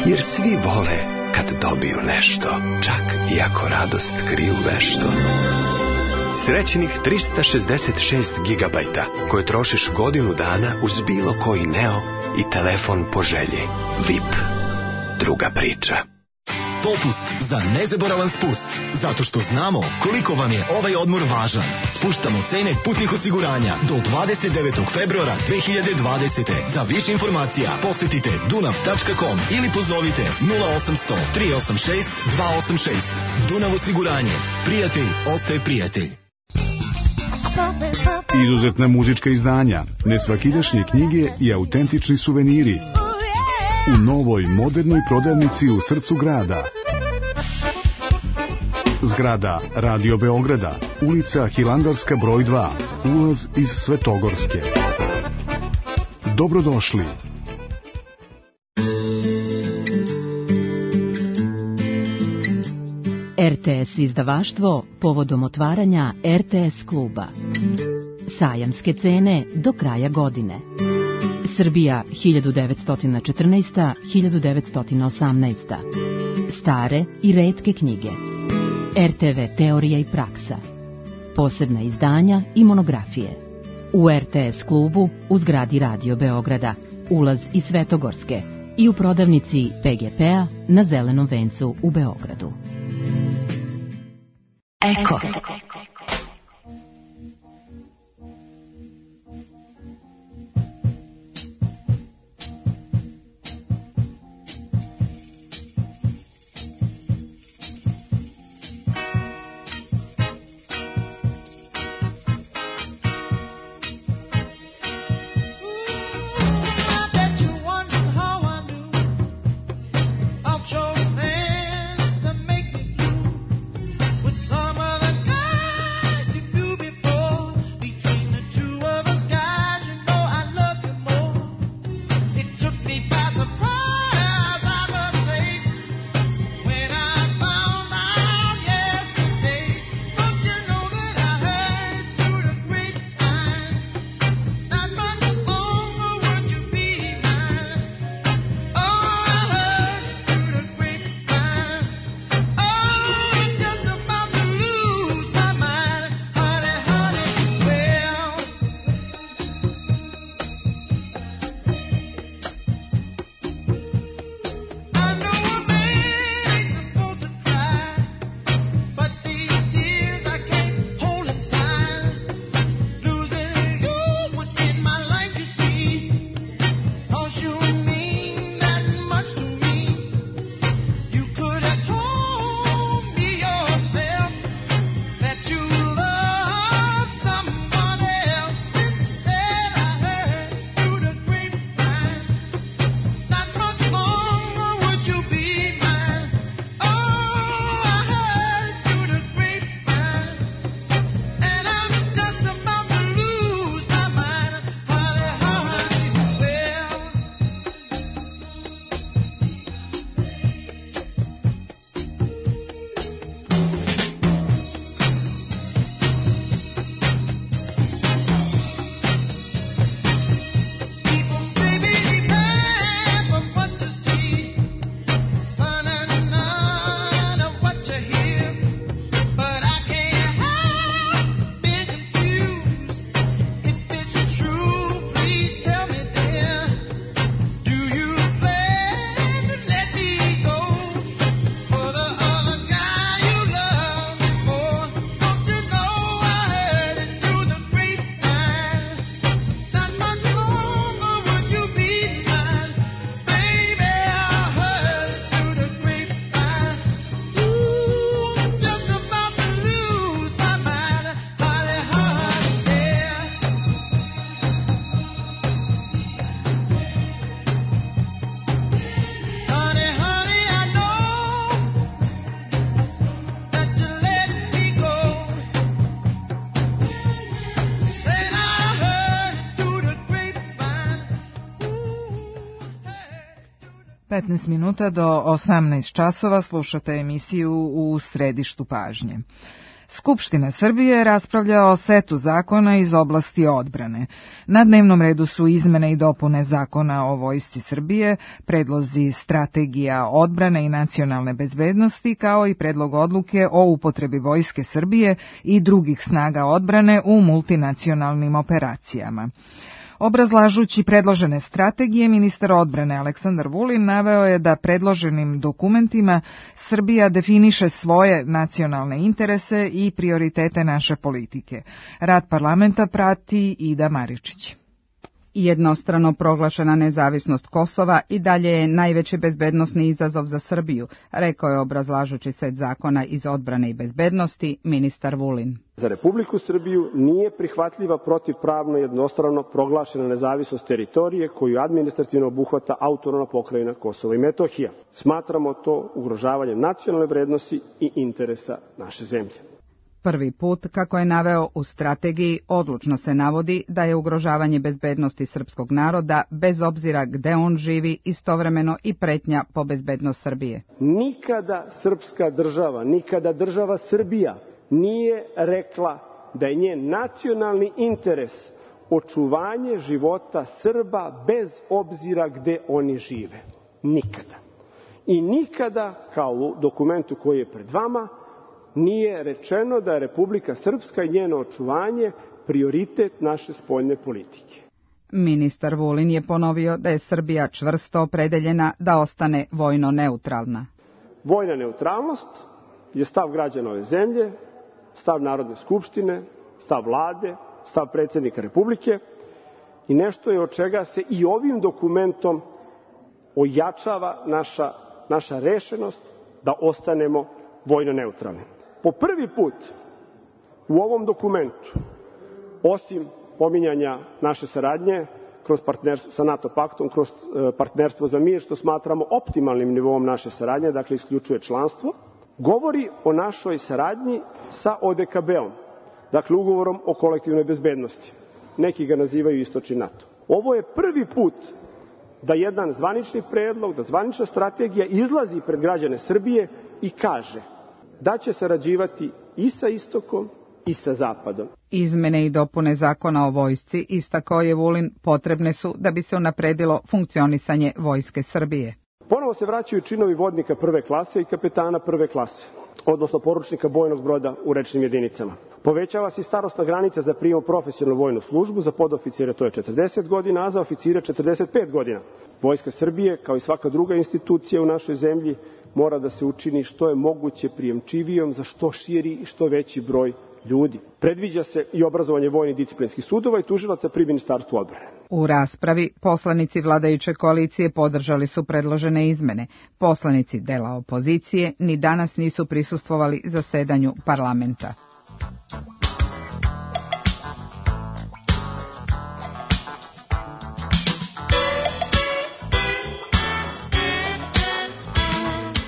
Jer svi vole kad dobiju nešto, čak i ako radost kriju vešto. Srećnih 366 gigabajta koje trošiš godinu dana uz bilo koji Neo i telefon po želji. VIP. Druga priča. Popust za nezaboravan spust, zato što znamo koliko vam je ovaj odmor važan. Spuštamo cene putnih osiguranja do 29. februara 2020. Za više informacija posjetite dunav.com ili pozovite 0800 386 286. Dunav osiguranje. Prijatelj ostaje prijatelj. Izuzetna muzička izdanja, nesvakidašnje knjige i autentični suveniri u novoj modernoj prodavnici u srcu grada. Zgrada Radio Beograda, ulica Hilandarska broj 2, ulaz iz Svetogorske. Dobrodošli. RTS izdavaštvo povodom otvaranja RTS kluba. Sajamske cene do kraja godine. Srbija 1914-1918. Stare i retke knjige. RTV teorija i praksa. Posebna izdanja i monografije. U RTS klubu u zgradi Radio Beograda, ulaz iz Svetogorske i u prodavnici PGP-a na Zelenom vencu u Beogradu. Eko. Some of the guys 15 minuta do 18 časova slušate emisiju U središtu pažnje. Skupština Srbije raspravlja o setu zakona iz oblasti odbrane. Na dnevnom redu su izmene i dopune Zakona o Vojsci Srbije, predlozi strategija odbrane i nacionalne bezbednosti, kao i predlog odluke o upotrebi Vojske Srbije i drugih snaga odbrane u multinacionalnim operacijama. Obrazlažući predložene strategije, ministar odbrane Aleksandar Vulin naveo je da predloženim dokumentima Srbija definiše svoje nacionalne interese i prioritete naše politike. Rad parlamenta prati Ida Maričić. Jednostrano proglašena nezavisnost Kosova i dalje je najveći bezbednosni izazov za Srbiju, rekao je obrazlažući set zakona iz odbrane i bezbednosti ministar Vulin. Za Republiku Srbiju nije prihvatljiva protivpravno jednostrano proglašena nezavisnost teritorije koju administrativno obuhvata autonomna pokrajina Kosovo i Metohija. Smatramo to ugrožavanjem nacionalne vrednosti i interesa naše zemlje. Prvi put, kako je naveo u strategiji, odlučno se navodi da je ugrožavanje bezbednosti srpskog naroda, bez obzira gde on živi, istovremeno i pretnja po bezbednost Srbije. Nikada srpska država, nikada država Srbija nije rekla da je njen nacionalni interes očuvanje života Srba bez obzira gde oni žive. Nikada. I nikada, kao u dokumentu koji je pred vama, nije rečeno da je Republika Srpska i njeno očuvanje prioritet naše spoljne politike. Ministar Vulin je ponovio da je Srbija čvrsto opredeljena da ostane vojno neutralna. Vojna neutralnost je stav građana ove zemlje, stav Narodne skupštine, stav vlade, stav predsjednika Republike i nešto je od čega se i ovim dokumentom ojačava naša rešenost da ostanemo vojno neutralni. Po prvi put u ovom dokumentu, osim pominjanja naše saradnje sa NATO paktom, kroz partnerstvo za mir, što smatramo optimalnim nivoom naše saradnje, dakle isključuje članstvo, govori o našoj saradnji sa ODKB-om, dakle ugovorom o kolektivnoj bezbednosti. Neki ga nazivaju istočni NATO. Ovo je prvi put da jedan zvanični predlog, da zvanična strategija izlazi pred građane Srbije i kaže da će sarađivati i sa istokom i sa zapadom. Izmene i dopune Zakona o vojsci, istakao je Vulin, potrebne su da bi se unapredilo funkcionisanje Vojske Srbije. Ponovo se vraćaju činovi vodnika prve klase i kapetana prve klase, odnosno poručnika bojnog broda u rečnim jedinicama. Povećava se i starosna granica za prijem u profesionalnu vojnu službu, za podoficire to je 40 godina, a za oficire 45 godina. Vojska Srbije, kao i svaka druga institucija u našoj zemlji, mora da se učini što je moguće prijemčivijom za što širi i što veći broj ljudi. Predviđa se i obrazovanje vojnih disciplinskih sudova i tužilaca pri Ministarstvu odbrane. U raspravi poslanici vladajuće koalicije podržali su predložene izmene. Poslanici dela opozicije ni danas nisu prisustvovali zasedanju parlamenta.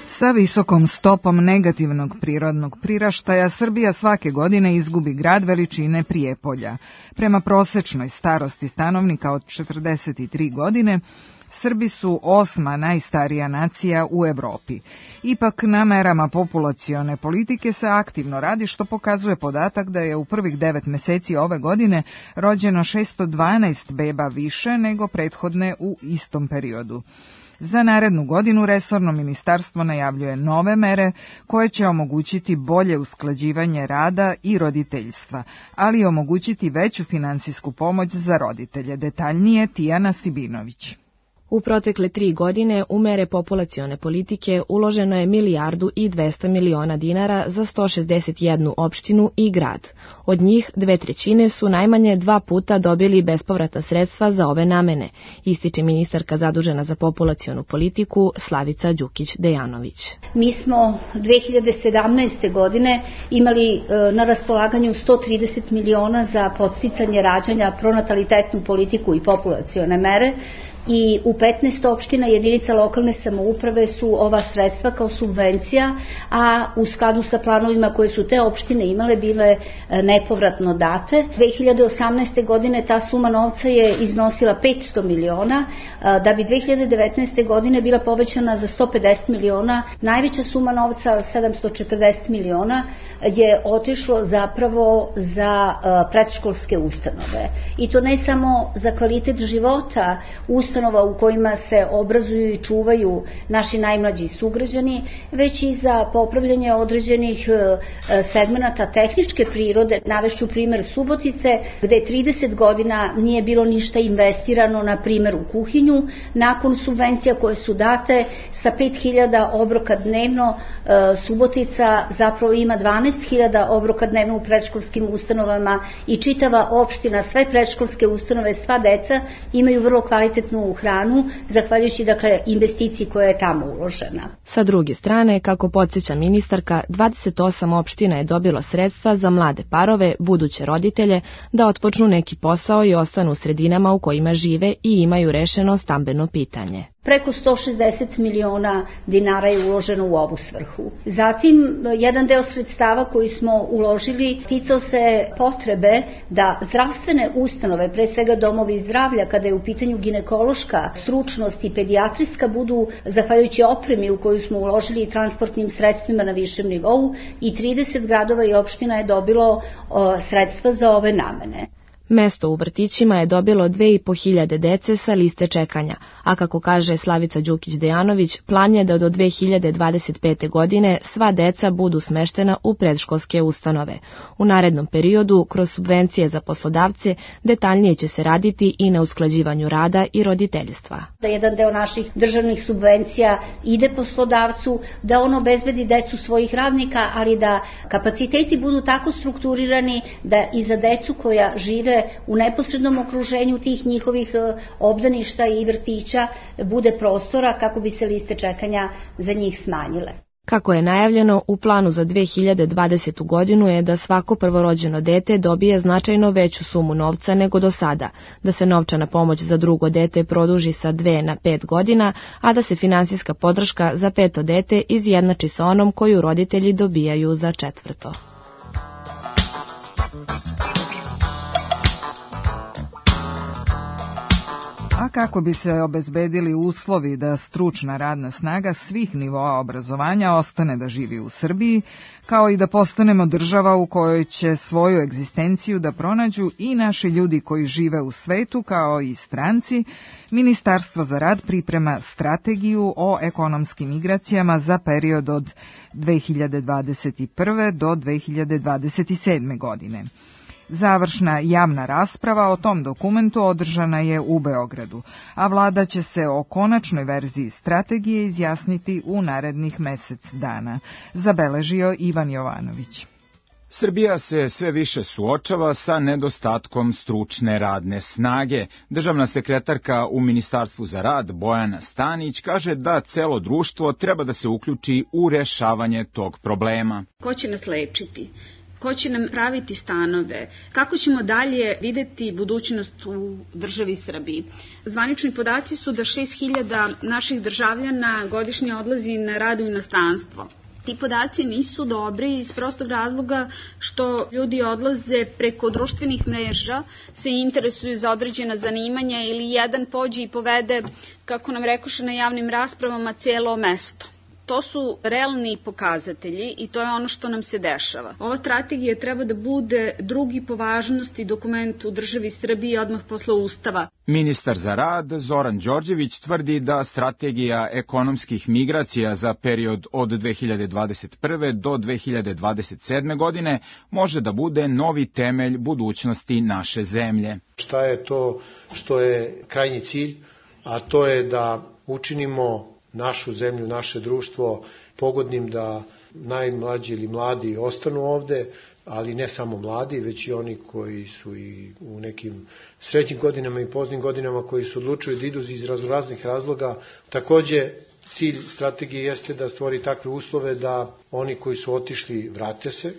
Sa visokom stopom negativnog prirodnog priraštaja Srbija svake godine izgubi grad veličine Prijepolja. Prema prosečnoj starosti stanovnika od 43 godine, Srbi su 8. najstarija nacija u Evropi. Ipak na merama populacione politike se aktivno radi, što pokazuje podatak da je u prvih 9 meseci ove godine rođeno 612 beba više nego prethodne u istom periodu. Za narednu godinu resorno ministarstvo najavljuje nove mere koje će omogućiti bolje usklađivanje rada i roditeljstva, ali i omogućiti veću finansijsku pomoć za roditelje. Detaljnije Tijana Sibinović. U protekle 3 godine u mere populacione politike uloženo je 1.200 miliona dinara za 161 opštinu i grad. Od njih 2/3 su najmanje 2 puta dobili bespovratna sredstva za ove namene, ističe ministarka zadužena za populacionu politiku Slavica Đukić-Dejanović. Mi smo 2017. godine imali na raspolaganju 130 miliona za podsticanje rađanja, pronatalitetnu politiku i populacione mere. i u 15 opština jedinica lokalne samouprave su ova sredstva kao subvencija, a u skladu sa planovima koje su te opštine imale bile nepovratno date. 2018. godine ta suma novca je iznosila 500 miliona, da bi 2019. godine bila povećana za 150 miliona. Najveća suma novca, 740 miliona, je otišlo zapravo za predškolske ustanove. I to ne samo za kvalitet života ustanova u kojima se obrazuju i čuvaju naši najmlađi sugrađani, već i za popravljanje određenih segmenata tehničke prirode. Navešću primer Subotice, gde 30 godina nije bilo ništa investirano, na primer u kuhinju. Nakon subvencija koje su date, sa 5000 obroka dnevno, Subotica zapravo ima 12.000 obroka dnevno u predškolskim ustanovama i čitava opština, sve predškolske ustanove, sva deca imaju vrlo kvalitetnu hranu, zahvaljujući investiciji koja je tamo uložena. Sa druge strane, kako podsjeća ministarka, 28 opština je dobilo sredstva za mlade parove, buduće roditelje, da otpočnu neki posao i ostanu u sredinama u kojima žive i imaju rešeno stambeno pitanje. Preko 160 miliona dinara je uloženo u ovu svrhu. Zatim, jedan deo sredstava koji smo uložili ticao se potrebe da zdravstvene ustanove, pre svega domovi zdravlja, kada je u pitanju ginekološka stručnost i pedijatrijska, budu, zahvaljujući opremi u koju smo uložili i transportnim sredstvima na višem nivou, i 30 gradova i opština je dobilo sredstva za ove namene. Mesto u vrtićima je dobilo 2500 dece sa liste čekanja, a kako kaže Slavica Đukić-Dejanović, plan je da do 2025. godine sva deca budu smeštena u predškolske ustanove. U narednom periodu, kroz subvencije za poslodavce, detaljnije će se raditi i na usklađivanju rada i roditeljstva. Da jedan deo naših državnih subvencija ide poslodavcu, da on obezbedi decu svojih radnika, ali da kapaciteti budu tako strukturirani da i za decu koja žive u neposrednom okruženju tih njihovih obdaništa i vrtića bude prostora kako bi se liste čekanja za njih smanjile. Kako je najavljeno, u planu za 2020. godinu je da svako prvorođeno dete dobije značajno veću sumu novca nego do sada, da se novčana pomoć za drugo dete produži sa 2 na 5 godina, a da se finansijska podrška za 5. dete izjednači sa onom koju roditelji dobijaju za 4. A kako bi se obezbedili uslovi da stručna radna snaga svih nivoa obrazovanja ostane da živi u Srbiji, kao i da postanemo država u kojoj će svoju egzistenciju da pronađu i naši ljudi koji žive u svetu, kao i stranci, Ministarstvo za rad priprema strategiju o ekonomskim migracijama za period od 2021. do 2027. godine. Završna javna rasprava o tom dokumentu održana je u Beogradu, a vlada će se o konačnoj verziji strategije izjasniti u narednih mesec dana, zabeležio Ivan Jovanović. Srbija se sve više suočava sa nedostatkom stručne radne snage. Državna sekretarka u Ministarstvu za rad Bojana Stanić kaže da celo društvo treba da se uključi u rešavanje tog problema. Ko će nas lečiti? Ko će nam praviti stanove? Kako ćemo dalje videti budućnost u državi Srbiji? Zvanični podaci su da 6.000 naših državljana godišnje odlazi na rad u inostranstvo. Ti podaci nisu dobri iz prostog razloga što ljudi odlaze preko društvenih mreža, se interesuju za određena zanimanja ili jedan pođe i povede, kako nam rekoše na javnim raspravama, cijelo mesto. To su realni pokazatelji i to je ono što nam se dešava. Ova strategija treba da bude drugi po važnosti dokument u državi Srbiji odmah posle Ustava. Ministar za rad Zoran Đorđević tvrdi da strategija ekonomskih migracija za period od 2021. do 2027. godine može da bude novi temelj budućnosti naše zemlje. Šta je to što je krajnji cilj, a to je da učinimo našu zemlju, naše društvo pogodnim da najmlađi ili mladi ostanu ovde, ali ne samo mladi, već i oni koji su i u nekim srednjim godinama i poznim godinama koji su odlučili da idu iz raznih razloga. Takođe, cilj strategije jeste da stvori takve uslove da oni koji su otišli vrate se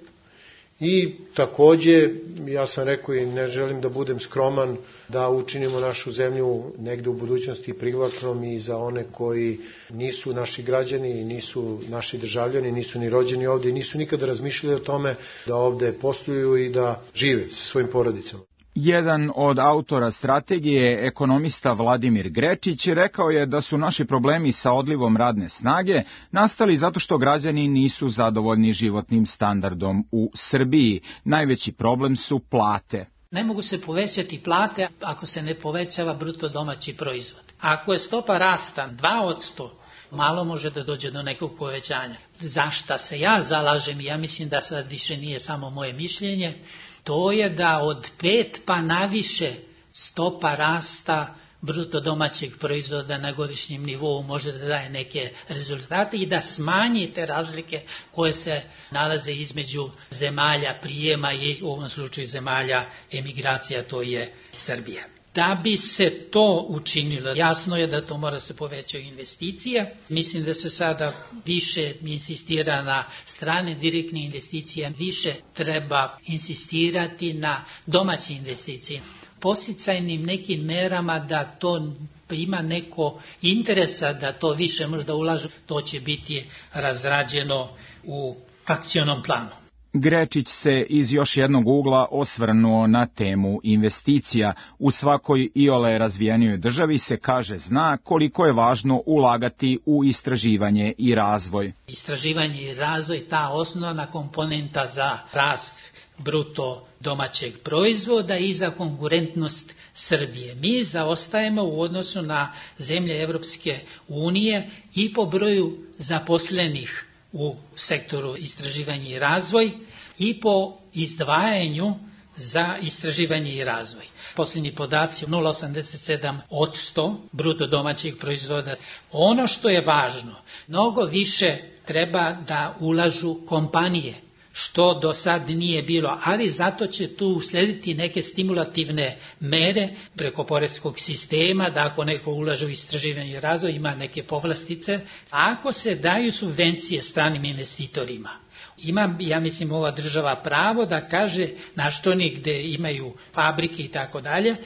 I takođe, ja sam rekao i ne želim da budem skroman, da učinimo našu zemlju negde u budućnosti privlačnom i za one koji nisu naši građani, nisu naši državljani, nisu ni rođeni ovde i nisu nikada razmišljali o tome da ovde posluju i da žive sa svojim porodicama. Jedan od autora strategije, ekonomista Vladimir Grečić, rekao je da su naši problemi sa odlivom radne snage nastali zato što građani nisu zadovoljni životnim standardom u Srbiji. Najveći problem su plate. Ne mogu se povećati plate ako se ne povećava bruto domaći proizvod. Ako je stopa rasta 2%, malo može da dođe do nekog povećanja. Za šta se ja zalažem, ja mislim da sad više nije samo moje mišljenje, to je da od 5 pa naviše stopa rasta bruto domaćeg proizvoda na godišnjem nivou može da daje neke rezultate i da smanji te razlike koje se nalaze između zemalja prijema i u ovom slučaju zemalja emigracija, to je Srbija. Da bi se to učinilo, jasno je da to mora se povećati investicije. Mislim da se sada više insistira na strane direktne investicije, više treba insistirati na domaće investicije. Podsticajnim nekim merama da to ima neko interesa da to više možda ulažu, to će biti razrađeno u akcionom planu. Grečić se iz još jednog ugla osvrnuo na temu investicija. U svakoj iole razvijenijoj državi se kaže zna koliko je važno ulagati u istraživanje i razvoj. Istraživanje i razvoj, ta osnovna komponenta za rast bruto domaćeg proizvoda i za konkurentnost Srbije. Mi zaostajemo u odnosu na zemlje Evropske unije i po broju zaposlenih u sektoru istraživanja i razvoj i po izdvajanju za istraživanje i razvoj. Posljednji podaci 0,87% bruto domaćeg proizvoda. Ono što je važno, mnogo više treba da ulažu kompanije, što do sad nije bilo, ali zato će tu uslediti neke stimulativne mere preko poreskog sistema, da ako neko ulaže u istraživanje i razvoj ima neke povlastice, ako se daju subvencije stranim investitorima. Ima, ja mislim, ova država pravo da kaže na što oni gde imaju fabrike i tako dalje,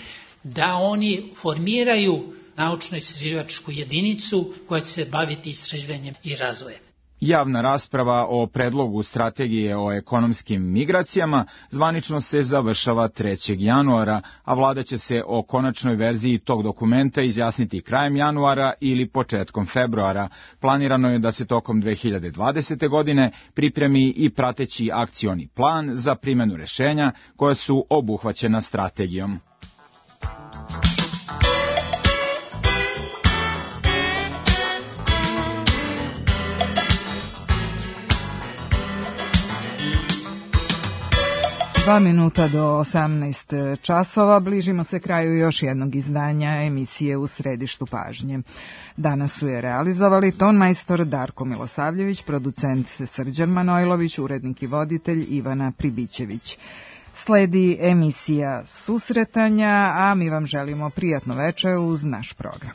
da oni formiraju naučno-istraživačku jedinicu koja će se baviti istraživanjem i razvojem. Javna rasprava o predlogu strategije o ekonomskim migracijama zvanično se završava 3. januara, a vlada će se o konačnoj verziji tog dokumenta izjasniti krajem januara ili početkom februara. Planirano je da se tokom 2020. godine pripremi i prateći akcioni plan za primjenu rešenja koja su obuhvaćena strategijom. Dva minuta do 18 časova, bližimo se kraju još jednog izdanja emisije U središtu pažnje. Danas su je realizovali tonmajstor Darko Milosavljević, producent Srđan Manojlović, urednik i voditelj Ivana Pribićević. Sledi emisija Susretanja, a mi vam želimo prijatno večer uz naš program.